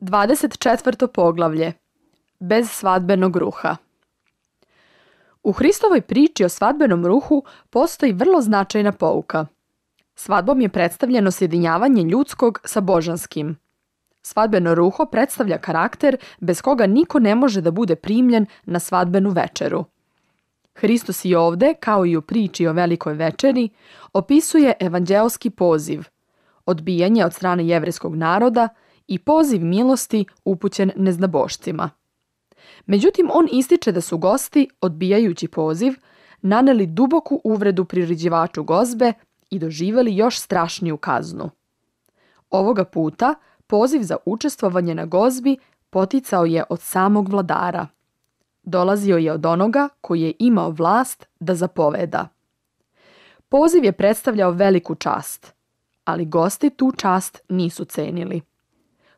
24. poglavlje. Bez svadbenog ruha. U Hristovoj priči o svadbenom ruhu postoji vrlo značajna pouka. Svadbom je predstavljeno sjedinjavanje ljudskog sa božanskim. Svadbeno ruho predstavlja karakter bez koga niko ne može da bude primljen na svadbenu večeru. Hristos i ovde, kao i u priči o velikoj večeri, opisuje evanđeoski poziv, odbijanje od strane jevrejskog naroda i poziv milosti upućen neznabošcima. Međutim, on ističe da su gosti, odbijajući poziv, naneli duboku uvredu priređivaču gozbe i doživjeli još strašniju kaznu. Ovoga puta poziv za učestvovanje na gozbi poticao je od samog vladara. Dolazio je od onoga koji je imao vlast da zapoveda. Poziv je predstavljao veliku čast, ali gosti tu čast nisu cenili.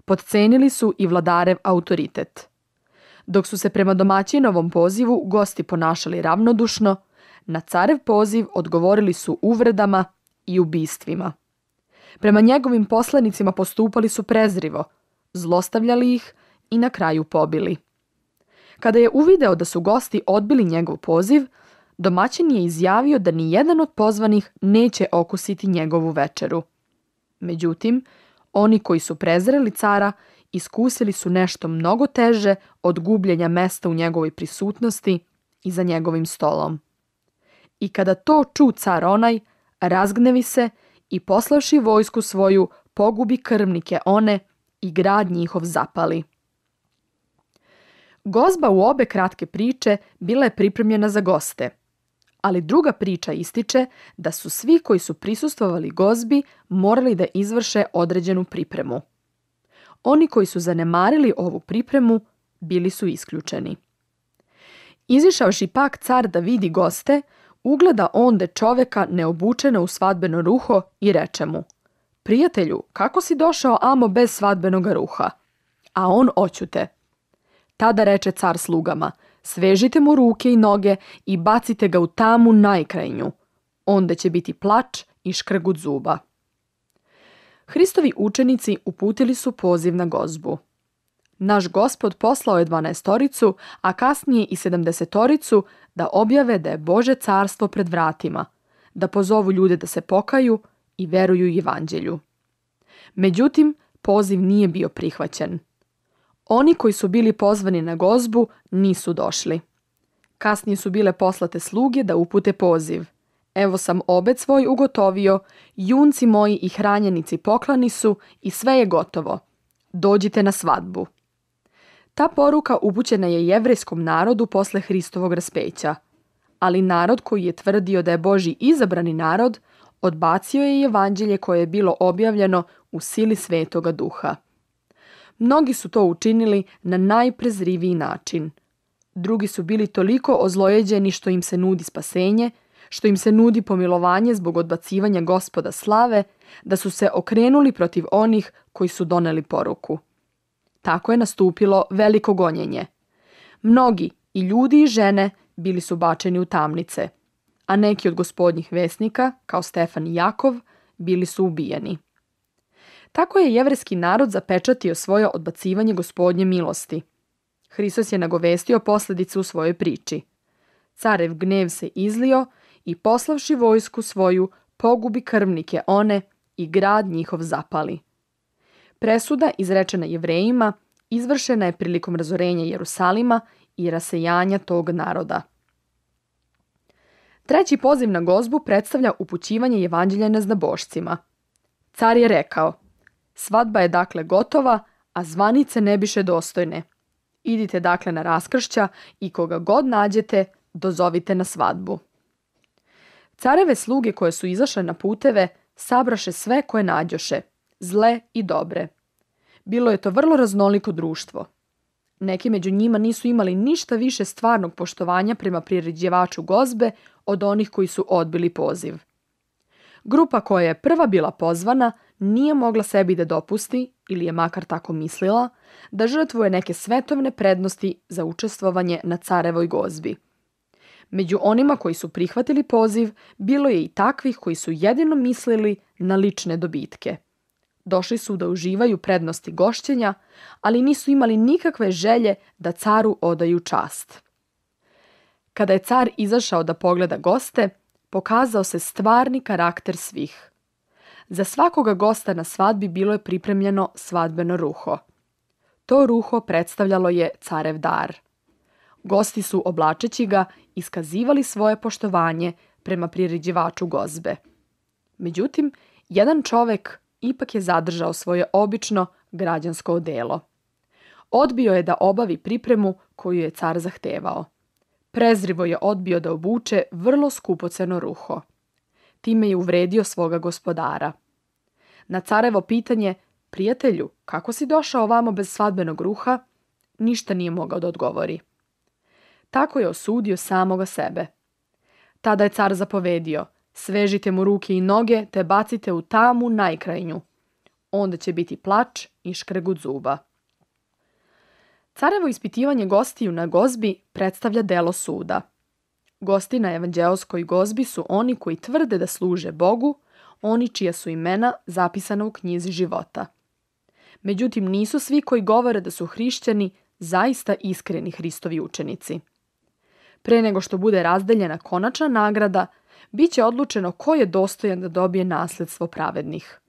Podcenili su i vladarev autoritet. Dok su se prema domaćinovom pozivu gosti ponašali ravnodušno, na carev poziv odgovorili su uvredama i ubistvima. Prema njegovim poslanicima postupali su prezrivo, zlostavljali ih i na kraju pobili. Kada je uvideo da su gosti odbili njegov poziv, domaćin je izjavio da ni jedan od pozvanih neće okusiti njegovu večeru. Međutim, oni koji su prezreli cara iskusili su nešto mnogo teže od gubljenja mesta u njegovoj prisutnosti i za njegovim stolom. I kada to ču car onaj, razgnevi se i poslavši vojsku svoju pogubi krvnike one i grad njihov zapali. Gozba u obe kratke priče bila je pripremljena za goste, ali druga priča ističe da su svi koji su prisustvovali gozbi morali da izvrše određenu pripremu. Oni koji su zanemarili ovu pripremu bili su isključeni. Izišavši pak car da vidi goste, ugleda onde čoveka neobučeno u svadbeno ruho i reče mu: "Prijatelju, kako si došao amo bez svadbenog ruha?" A on oćute. Tada reče car slugama: "Svežite mu ruke i noge i bacite ga u tamu najkrajnju. Onda će biti plač i škrgut zuba." Hristovi učenici uputili su poziv na gozbu. Naš Gospod poslao je 12, a kasnije i 70 da objave da je Bože carstvo pred vratima, da pozovu ljude da se pokaju i veruju evanđelju. Međutim, poziv nije bio prihvaćen. Oni koji su bili pozvani na gozbu nisu došli. Kasnije su bile poslate sluge da upute poziv: "Evo sam obed svoj ugotovio, junci moji i hranjenici poklani su i sve je gotovo. Dođite na svadbu." Ta poruka upućena je jevrejskom narodu posle Hristovog raspeća, ali narod koji je tvrdio da je Božji izabrani narod odbacio je evanđelje koje je bilo objavljeno u sili Svetoga Duha. Mnogi su to učinili na najprezriviji način. Drugi su bili toliko ozlojeđeni što im se nudi spasenje, što im se nudi pomilovanje zbog odbacivanja Gospoda slave, da su se okrenuli protiv onih koji su doneli poruku. Tako je nastupilo veliko gonjenje. Mnogi, i ljudi i žene, bili su bačeni u tamnice, a neki od gospodnjih vesnika, kao Stefan i Jakov, bili su ubijeni. Tako je jevrejski narod zapečatio svoje odbacivanje Gospodnje milosti. Hristos je nagovestio posljedice u svojoj priči. Carev gnev se izlio i poslavši vojsku svoju pogubi krvnike one i grad njihov zapali. Presuda izrečena Jevrejima izvršena je prilikom razorenja Jerusalima i rasejanja tog naroda. Treći poziv na gozbu predstavlja upućivanje evanđelja neznabošcima. Car je rekao: "Svadba je dakle gotova, a zvanice ne biše dostojne. Idite dakle na raskršća i koga god nađete, dozovite na svadbu." Careve sluge koje su izašle na puteve sabraše sve koje nađoše, zle i dobre. Bilo je to vrlo raznoliko društvo. Neki među njima nisu imali ništa više stvarnog poštovanja prema priređivaču gozbe od onih koji su odbili poziv. Grupa koja je prva bila pozvana nije mogla sebi da dopusti, ili je makar tako mislila, da žrtvuje neke svetovne prednosti za učestvovanje na carevoj gozbi. Među onima koji su prihvatili poziv bilo je i takvih koji su jedino mislili na lične dobitke. Došli su da uživaju prednosti gošćenja, ali nisu imali nikakve želje da caru odaju čast. Kada je car izašao da pogleda goste, pokazao se stvarni karakter svih. Za svakoga gosta na svadbi bilo je pripremljeno svadbeno ruho. To ruho predstavljalo je carev dar. Gosti su, oblačeći ga, iskazivali svoje poštovanje prema priređivaču gozbe. Međutim, jedan čovek ipak je zadržao svoje obično građansko odelo. Odbio je da obavi pripremu koju je car zahtevao. Prezrivo je odbio da obuče vrlo skupoceno ruho. Time je uvredio svoga gospodara. Na carevo pitanje, prijatelju, kako si došao ovamo bez svadbenog ruha, ništa nije mogao da odgovori. Tako je osudio samoga sebe. Tada je car zapovedio, svežite mu ruke i noge te bacite u tamu najkrajnju. Onda će biti plač i škregut zuba. Carevo ispitivanje gostiju na gozbi predstavlja delo suda. Gosti na evanđeoskoj gozbi su oni koji tvrde da služe Bogu, oni čija su imena zapisana u knjizi života. Međutim, nisu svi koji govore da su hrišćani zaista iskreni Hristovi učenici. Pre nego što bude razdeljena konačna nagrada, bit će odlučeno ko je dostojan da dobije nasledstvo pravednih.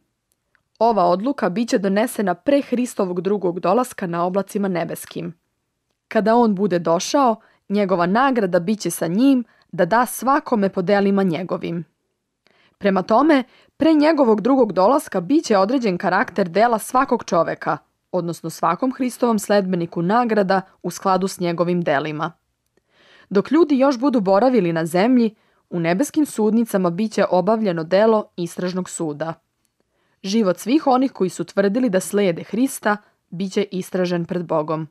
Ova odluka bit će donesena pre Hristovog drugog dolaska na oblacima nebeskim. Kada on bude došao, njegova nagrada bit će sa njim da da svakome po delima njegovim. Prema tome, pre njegovog drugog dolaska bit će određen karakter dela svakog čoveka, odnosno svakom Hristovom sledbeniku nagrada u skladu s njegovim delima. Dok ljudi još budu boravili na zemlji, u nebeskim sudnicama bit će obavljeno delo istražnog suda. Život svih onih koji su tvrdili da slijede Hrista bit će istražen pred Bogom.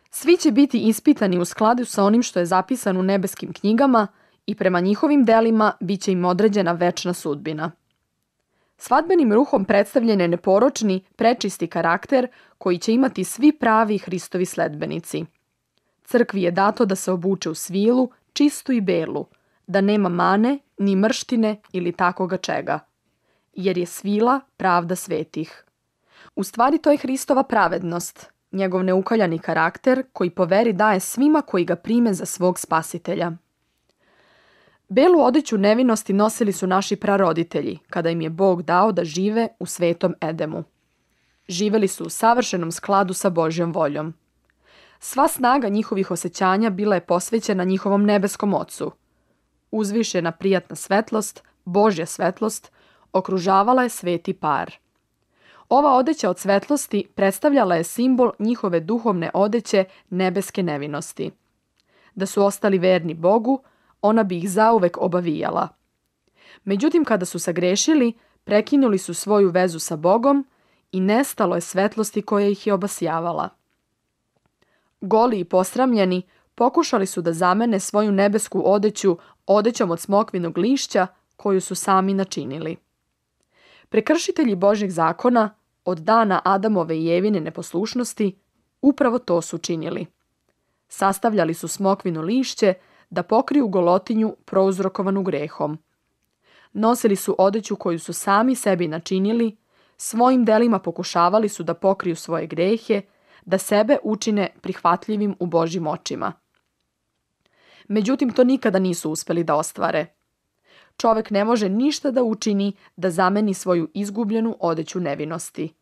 Svi će biti ispitani u skladu sa onim što je zapisano u nebeskim knjigama i prema njihovim delima bit će im određena večna sudbina. Svadbenim ruhom predstavljen je neporočni, prečisti karakter koji će imati svi pravi Hristovi sledbenici. Crkvi je dato da se obuče u svilu, čistu i belu, da nema mane, ni mrštine ili takoga čega. Jer je svila pravda svetih. U stvari to je Hristova pravednost, njegov neukaljani karakter koji po veri daje svima koji ga prime za svog spasitelja. Belu odeću nevinosti nosili su naši praroditelji, kada im je Bog dao da žive u svetom Edemu. Živeli su u savršenom skladu sa Božjom voljom. Sva snaga njihovih osjećanja bila je posvećena njihovom nebeskom Ocu. Uzvišena prijatna svetlost, Božja svetlost, okružavala je sveti par. Ova odeća od svetlosti predstavljala je simbol njihove duhovne odeće nebeske nevinosti. Da su ostali verni Bogu, ona bi ih zauvek obavijala. Međutim, kada su sagrešili, prekinuli su svoju vezu sa Bogom i nestalo je svetlosti koja ih je obasjavala. Goli i posramljeni, pokušali su da zamene svoju nebesku odeću odećom od smokvinog lišća koju su sami načinili. Prekršitelji Božjeg zakona, od dana Adamove i Evine neposlušnosti, upravo to su činili. Sastavljali su smokvino lišće da pokriju golotinju prouzrokovanu grehom. Nosili su odeću koju su sami sebi načinili, svojim delima pokušavali su da pokriju svoje grehe, da sebe učine prihvatljivim u Božjim očima. Međutim, to nikada nisu uspeli da ostvare. Čovek ne može ništa da učini da zameni svoju izgubljenu odeću nevinosti.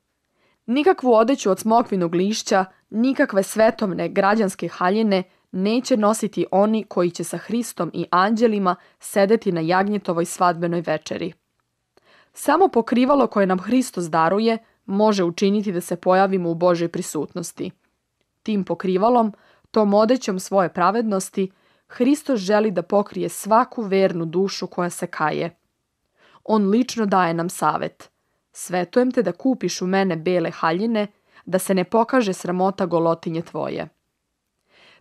Nikakvu odeću od smokvinog lišća, nikakve svetovne građanske haljine neće nositi oni koji će sa Hristom i anđelima sedeti na jagnjetovoj svadbenoj večeri. Samo pokrivalo koje nam Hristos daruje može učiniti da se pojavimo u Božoj prisutnosti. Tim pokrivalom, tom odećom svoje pravednosti, Hristos želi da pokrije svaku vernu dušu koja se kaje. On lično daje nam savet. Svetujem te da kupiš u mene bele haljine, da se ne pokaže sramota golotinje tvoje.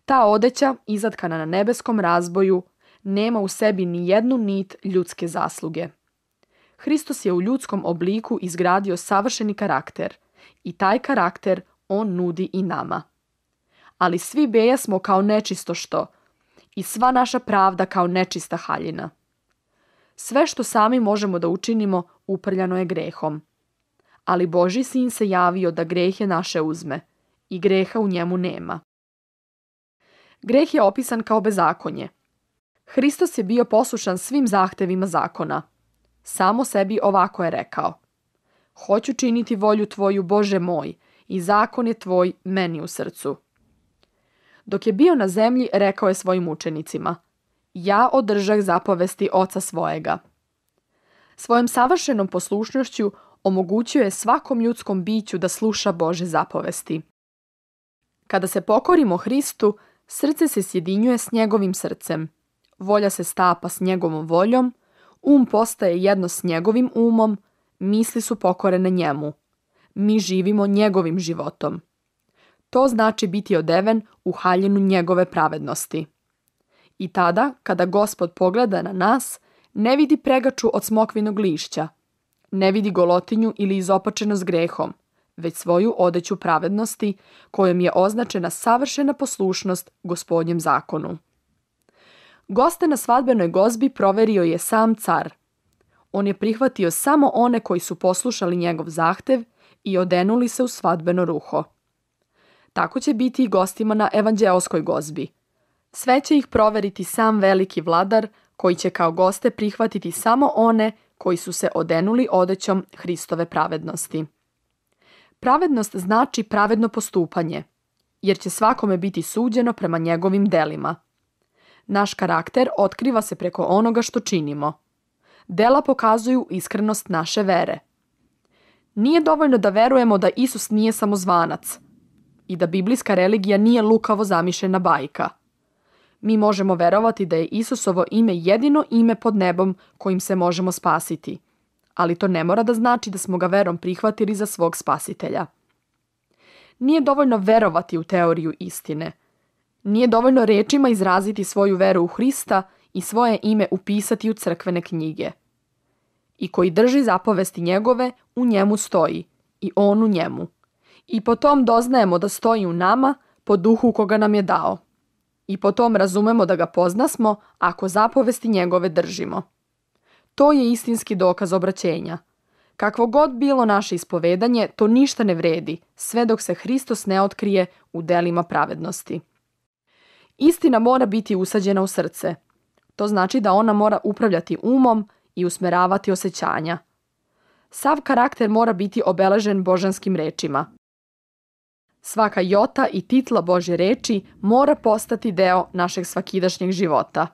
Ta odeća, izatkana na nebeskom razboju, nema u sebi ni jednu nit ljudske zasluge. Hristos je u ljudskom obliku izgradio savršeni karakter i taj karakter on nudi i nama. Ali svi bejasmo kao nečisto što i sva naša pravda kao nečista haljina. Sve što sami možemo da učinimo uprljano je grehom. ali Božji sin se javio da grehe naše uzme i greha u njemu nema. Greh je opisan kao bezakonje. Hristos je bio poslušan svim zahtevima zakona. Samo sebi ovako je rekao: Hoću činiti volju tvoju, Bože moj, i zakon je tvoj meni u srcu. Dok je bio na zemlji, rekao je svojim učenicima: Ja održah zapovesti oca svojega. Svojom savršenom poslušnošću omogućio je svakom ljudskom biću da sluša Božje zapovesti. Kada se pokorimo Hristu, srce se sjedinjuje s njegovim srcem, volja se stapa s njegovom voljom, postaje jedno s njegovim umom, misli su pokorene njemu. Mi živimo njegovim životom. To znači biti odeven u haljinu njegove pravednosti. I tada, kada Gospod pogleda na nas, ne vidi pregaču od smokvinog lišća, ne vidi golotinju ili izopačenost grehom, već svoju odeću pravednosti kojom je označena savršena poslušnost Gospodnjem zakonu. Goste na svadbenoj gozbi proverio je sam car. On je prihvatio samo one koji su poslušali njegov zahtev i odenuli se u svadbeno ruho. Tako će biti i gostima na evanđeoskoj gozbi. Sve će ih proveriti sam veliki vladar, koji će kao goste prihvatiti samo one koji su se odenuli odećom Hristove pravednosti. Pravednost znači pravedno postupanje, jer će svakome biti suđeno prema njegovim delima. Naš karakter otkriva se preko onoga što činimo. Dela pokazuju iskrenost naše vere. Nije dovoljno da verujemo da Isus nije samozvanac i da biblijska religija nije lukavo zamišljena bajka. Mi možemo verovati da je Isusovo ime jedino ime pod nebom kojim se možemo spasiti, ali to ne mora da znači da smo ga verom prihvatili za svog spasitelja. Nije dovoljno verovati u teoriju istine. Nije dovoljno rečima izraziti svoju veru u Hrista i svoje ime upisati u crkvene knjige. I koji drži zapovesti njegove, u njemu stoji, i on u njemu. I po tom doznajemo da stoji u nama, po duhu koga nam je dao. I po tom razumemo da ga poznasmo ako zapovesti njegove držimo. To je istinski dokaz obraćenja. Kakvo god bilo naše ispovedanje, to ništa ne vredi, sve dok se Hristos ne otkrije u delima pravednosti. Istina mora biti usađena u srce. To znači da ona mora upravljati umom i usmeravati osjećanja. Sav karakter mora biti obeležen božanskim rečima. Svaka jota i titla Božje reči mora postati deo našeg svakidašnjeg života.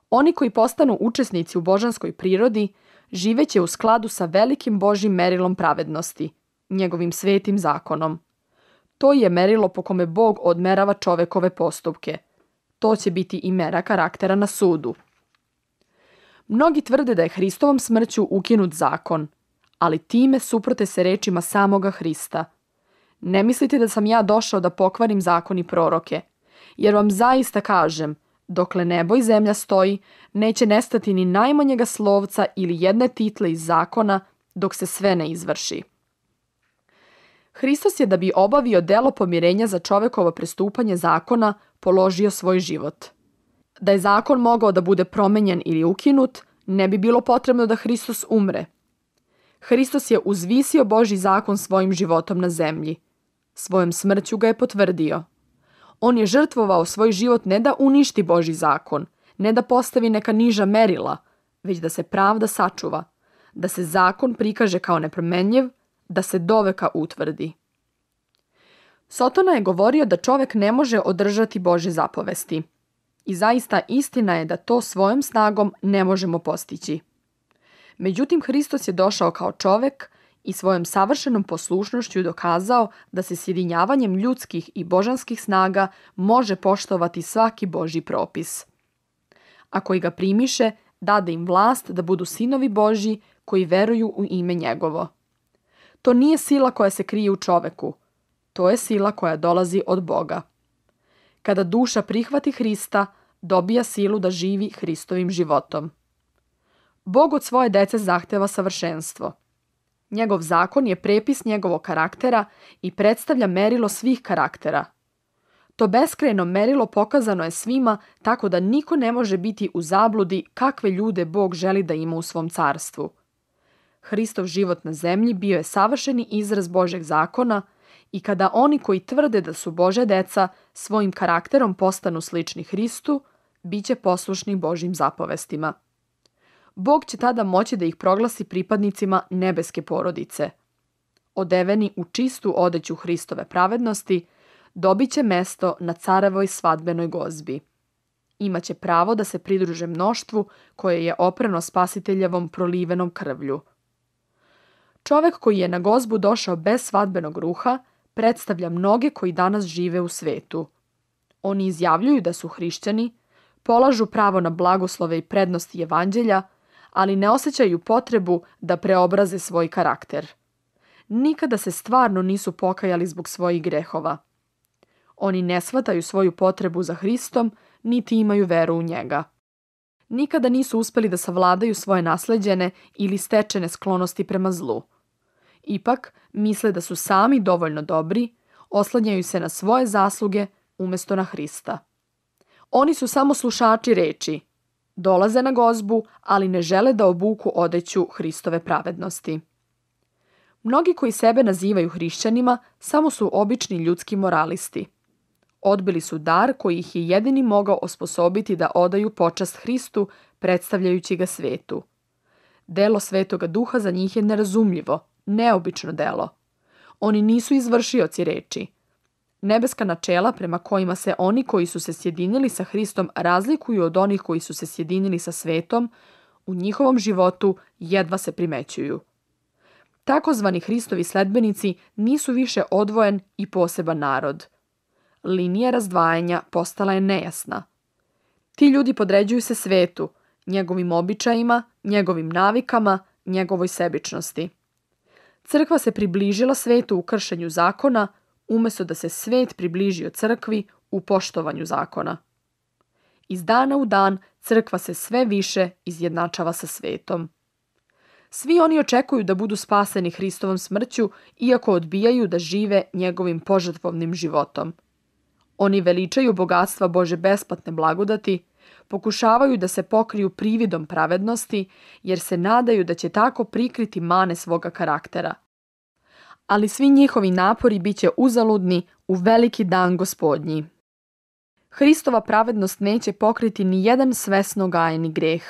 Oni koji postanu učesnici u božanskoj prirodi živeće u skladu sa velikim Božjim merilom pravednosti, njegovim svetim zakonom. To je merilo po kome Bog odmerava čovekove postupke. To će biti i mera karaktera na sudu. Mnogi tvrde da je Hristovom smrću ukinut zakon, ali time suprote se rečima samoga Hrista. Ne mislite da sam ja došao da pokvarim zakon i proroke, jer vam zaista kažem, dokle nebo i zemlja stoji, neće nestati ni najmanjega slovca ili jedne title iz zakona dok se sve ne izvrši. Hristos je, da bi obavio delo pomirenja za čovekovo prestupanje zakona, položio svoj život. Da je zakon mogao da bude promenjen ili ukinut, ne bi bilo potrebno da Hristos umre. Hristos je uzvisio Božji zakon svojim životom na zemlji. Svojom smrću ga je potvrdio. On je žrtvovao svoj život ne da uništi Božji zakon, ne da postavi neka niža merila, već da se pravda sačuva, da se zakon prikaže kao nepromenljiv, da se doveka utvrdi. Sotona je govorio da čovek ne može održati Božje zapovesti. I zaista istina je da to svojom snagom ne možemo postići. Međutim, Hristos je došao kao čovek i svojom savršenom poslušnošću dokazao da se sjedinjavanjem ljudskih i božanskih snaga može poštovati svaki Božji propis. A koji ga primiše, dade im vlast da budu sinovi Božji koji veruju u ime njegovo. To nije sila koja se krije u čoveku. To je sila koja dolazi od Boga. Kada duša prihvati Hrista, dobija silu da živi Hristovim životom. Bog od svoje dece zahteva savršenstvo. Njegov zakon je prepis njegovog karaktera i predstavlja merilo svih karaktera. To beskrajno merilo pokazano je svima tako da niko ne može biti u zabludi kakve ljude Bog želi da ima u svom carstvu. Hristov život na zemlji bio je savršeni izraz Božeg zakona i kada oni koji tvrde da su Božja deca svojim karakterom postanu slični Hristu, bit će poslušni Božjim zapovestima. Bog će tada moći da ih proglasi pripadnicima nebeske porodice. Odeveni u čistu odeću Hristove pravednosti, dobit će mesto na carevoj svadbenoj gozbi. Imaće pravo da se pridruže mnoštvu koje je oprano spasiteljevom prolivenom krvlju. Čovek koji je na gozbu došao bez svadbenog ruha predstavlja mnoge koji danas žive u svetu. Oni izjavljuju da su hrišćani, polažu pravo na blagoslove i prednosti evanđelja, ali ne osjećaju potrebu da preobraze svoj karakter. Nikada se stvarno nisu pokajali zbog svojih grehova. Oni ne shvataju svoju potrebu za Hristom, niti imaju veru u njega. Nikada nisu uspeli da savladaju svoje nasleđene ili stečene sklonosti prema zlu. Ipak, misle da su sami dovoljno dobri, oslanjaju se na svoje zasluge umjesto na Hrista. Oni su samo slušači reči. Dolaze na gozbu, ali ne žele da obuku odeću Hristove pravednosti. Mnogi koji sebe nazivaju hrišćanima samo su obični ljudski moralisti. Odbili su dar koji ih je jedini mogao osposobiti da odaju počast Hristu, predstavljajući ga svetu. Delo Svetoga Duha za njih je nerazumljivo, neobično delo. Oni nisu izvršioci reči. Nebeska načela prema kojima se oni koji su se sjedinili sa Hristom razlikuju od onih koji su se sjedinili sa svetom, u njihovom životu jedva se primećuju. Takozvani Hristovi sledbenici nisu više odvojen i poseban narod. Linija razdvajanja postala je nejasna. Ti ljudi podređuju se svetu, njegovim običajima, njegovim navikama, njegovoj sebičnosti. Crkva se približila svetu u kršenju zakona, umjesto da se svet približio crkvi u poštovanju zakona. Iz dana u dan crkva se sve više izjednačava sa svetom. Svi oni očekuju da budu spaseni Hristovom smrću, iako odbijaju da žive njegovim požrtvovnim životom. Oni veličaju bogatstva Bože besplatne blagodati, pokušavaju da se pokriju prividom pravednosti, jer se nadaju da će tako prikriti mane svoga karaktera. Ali svi njihovi napori bit će uzaludni u veliki dan Gospodnji. Hristova pravednost neće pokriti ni jedan svesno gajeni greh.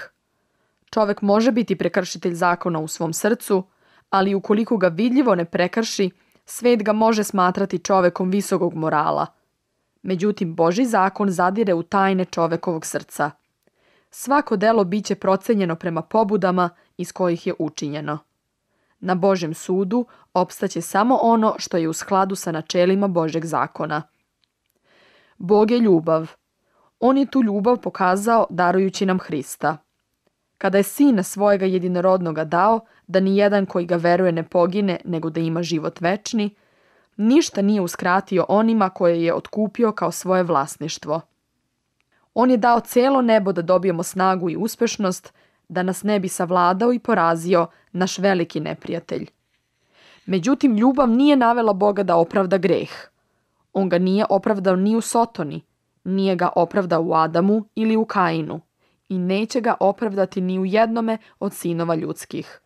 Čovek može biti prekršitelj zakona u svom srcu, ali ukoliko ga vidljivo ne prekrši, svet ga može smatrati čovekom visokog morala. Međutim, Božji zakon zadire u tajne čovekovog srca. Svako delo biće procenjeno prema pobudama iz kojih je učinjeno. Na Božjem sudu opstaće samo ono što je u skladu sa načelima Božjeg zakona. Bog je ljubav. On je tu ljubav pokazao darujući nam Hrista. Kada je Sina svojega jedinorodnoga dao, da ni jedan koji ga veruje ne pogine, nego da ima život večni, ništa nije uskratio onima koje je otkupio kao svoje vlasništvo. On je dao cijelo nebo da dobijemo snagu i uspešnost, da nas ne bi savladao i porazio naš veliki neprijatelj. Međutim, ljubav nije navela Boga da opravda greh. On ga nije opravdao ni u Sotoni, nije ga opravdao u Adamu ili u Kainu i neće ga opravdati ni u jednome od sinova ljudskih.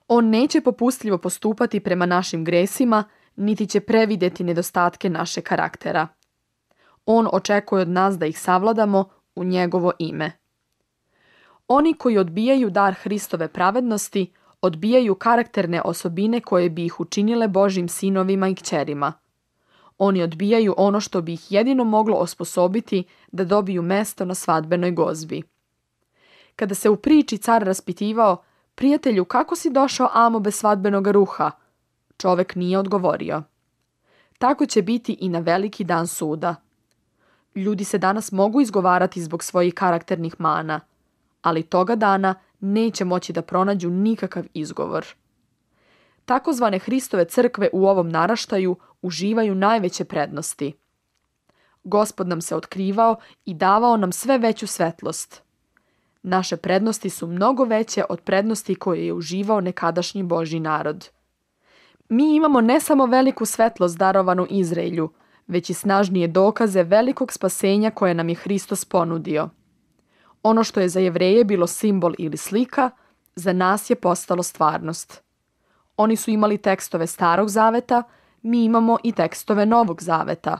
On neće popustljivo postupati prema našim gresima, niti će previdjeti nedostatke naše karaktera. On očekuje od nas da ih savladamo u njegovo ime. Oni koji odbijaju dar Hristove pravednosti, odbijaju karakterne osobine koje bi ih učinile Božjim sinovima i kćerima. Oni odbijaju ono što bi ih jedino moglo osposobiti da dobiju mesto na svadbenoj gozbi. Kada se u priči car raspitivao, prijatelju, kako si došao amo bez svadbenog ruha? Čovek nije odgovorio. Tako će biti i na veliki dan suda. Ljudi se danas mogu izgovarati zbog svojih karakternih mana, ali toga dana neće moći da pronađu nikakav izgovor. Takozvane Hristove crkve u ovom naraštaju uživaju najveće prednosti. Gospod nam se otkrivao i davao nam sve veću svetlost. Naše prednosti su mnogo veće od prednosti koje je uživao nekadašnji Božji narod. Mi imamo ne samo veliku svetlost darovanu Izraelju, već i snažnije dokaze velikog spasenja koje nam je Hristos ponudio. Ono što je za Jevreje bilo simbol ili slika, za nas je postalo stvarnost. Oni su imali tekstove Starog zaveta, mi imamo i tekstove Novog zaveta.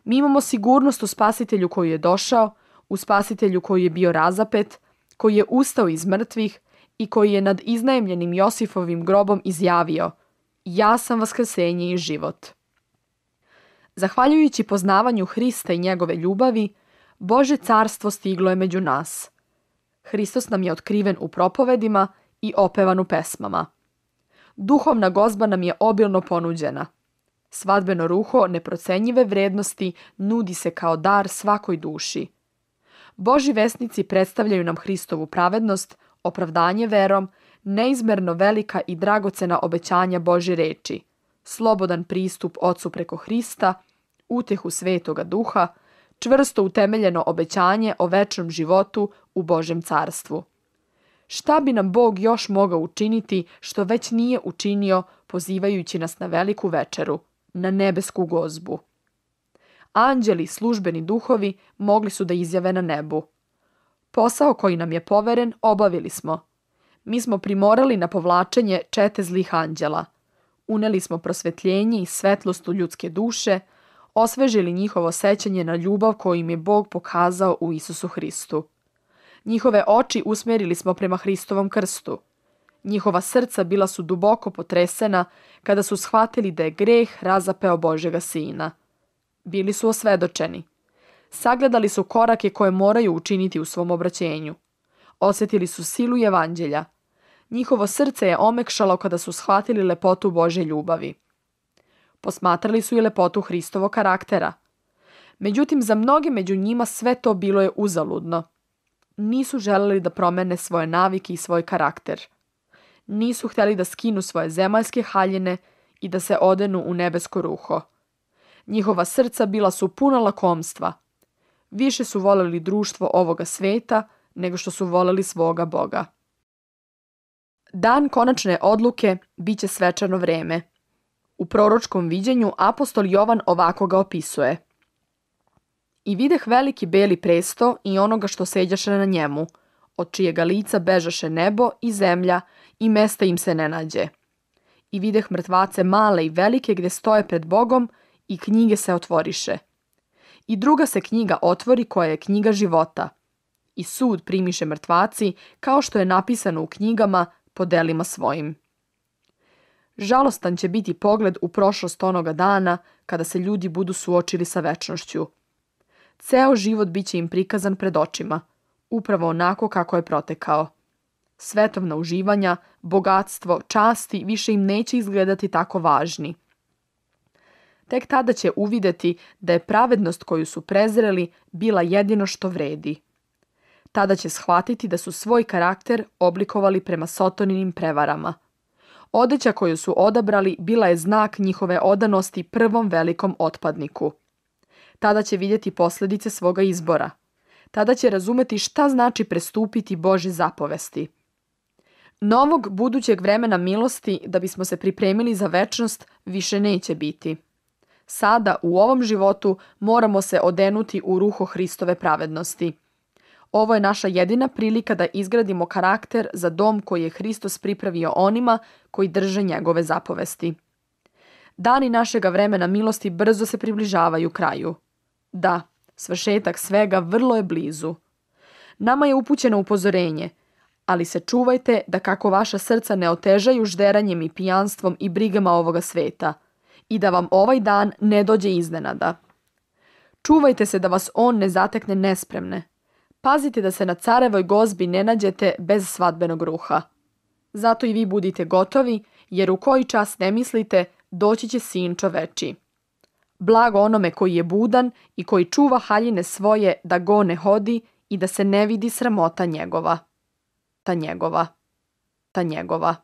Mi imamo sigurnost u Spasitelju koji je došao, u Spasitelju koji je bio razapet, koji je ustao iz mrtvih i koji je nad iznajmljenim Josifovim grobom izjavio: ja sam vaskrsenje i život. Zahvaljujući poznavanju Hrista i njegove ljubavi, Božje carstvo stiglo je među nas. Hristos nam je otkriven u propovedima i opevan u pesmama. Duhovna gozba nam je obilno ponuđena. Svadbeno ruho neprocenjive vrednosti nudi se kao dar svakoj duši. Božji vesnici predstavljaju nam Hristovu pravednost, opravdanje verom, neizmerno velika i dragocena obećanja Božje reči, slobodan pristup Ocu preko Hrista, utehu Svetoga Duha, čvrsto utemeljeno obećanje o večnom životu u Božjem carstvu. Šta bi nam Bog još mogao učiniti što već nije učinio, pozivajući nas na veliku večeru, na nebesku gozbu? Anđeli, službeni duhovi, mogli su da izjave na nebu: posao koji nam je poveren obavili smo. Mi smo primorali na povlačenje čete zlih anđela. Uneli smo prosvetljenje i svetlost u ljudske duše, osvežili njihovo sećanje na ljubav koju im je Bog pokazao u Isusu Hristu. Njihove oči usmjerili smo prema Hristovom krstu. Njihova srca bila su duboko potresena kada su shvatili da je greh razapeo Božjega Sina. Bili su osvedočeni. Sagledali su korake koje moraju učiniti u svom obraćenju. Osjetili su silu evanđelja. Njihovo srce je omekšalo kada su shvatili lepotu Božje ljubavi. Posmatrali su i lepotu Hristovog karaktera. Međutim, za mnoge među njima sve to bilo je uzaludno. Nisu želeli da promene svoje navike i svoj karakter. Nisu htjeli da skinu svoje zemaljske haljine i da se odenu u nebesko ruho. Njihova srca bila su puna lakomstva. Više su voljeli društvo ovoga sveta nego što su voljeli svoga Boga. Dan konačne odluke bit će svečano vreme. U proročkom viđenju apostol Jovan ovako ga opisuje: i videh veliki beli presto i onoga što seđaše na njemu, od čijega lica bežaše nebo i zemlja i mesta im se ne nađe. I videh mrtvace male i velike gdje stoje pred Bogom i knjige se otvoriše. I druga se knjiga otvori koja je knjiga života. I sud primiše mrtvaci kao što je napisano u knjigama po delima svojim. Žalostan će biti pogled u prošlost onoga dana kada se ljudi budu suočili sa večnošću. Ceo život bit će im prikazan pred očima, upravo onako kako je protekao. Svetovna uživanja, bogatstvo, časti više im neće izgledati tako važni. Tek tada će uvidjeti da je pravednost koju su prezreli bila jedino što vredi. Tada će shvatiti da su svoj karakter oblikovali prema Sotoninim prevarama. Odeća koju su odabrali bila je znak njihove odanosti prvom velikom otpadniku. Tada će vidjeti posljedice svoga izbora. Tada će razumeti šta znači prestupiti Božje zapovesti. Novog budućeg vremena milosti da bismo se pripremili za večnost više neće biti. Sada u ovom životu moramo se odenuti u ruho Hristove pravednosti. Ovo je naša jedina prilika da izgradimo karakter za dom koji je Hristos pripravio onima koji drže njegove zapovesti. Dani našega vremena milosti brzo se približavaju kraju. Da, svršetak svega vrlo je blizu. Nama je upućeno upozorenje, ali se čuvajte da kako vaša srca ne otežaju žderanjem i pijanstvom i brigama ovoga sveta i da vam ovaj dan ne dođe iznenada. Čuvajte se da vas on ne zatekne nespremne. Pazite da se na carevoj gozbi ne nađete bez svadbenog ruha. Zato i vi budite gotovi, jer u koji čas ne mislite, doći će Sin čovečiji. Blago onome koji je budan i koji čuva haljine svoje da go ne hodi i da se ne vidi sramota njegova. Ta njegova.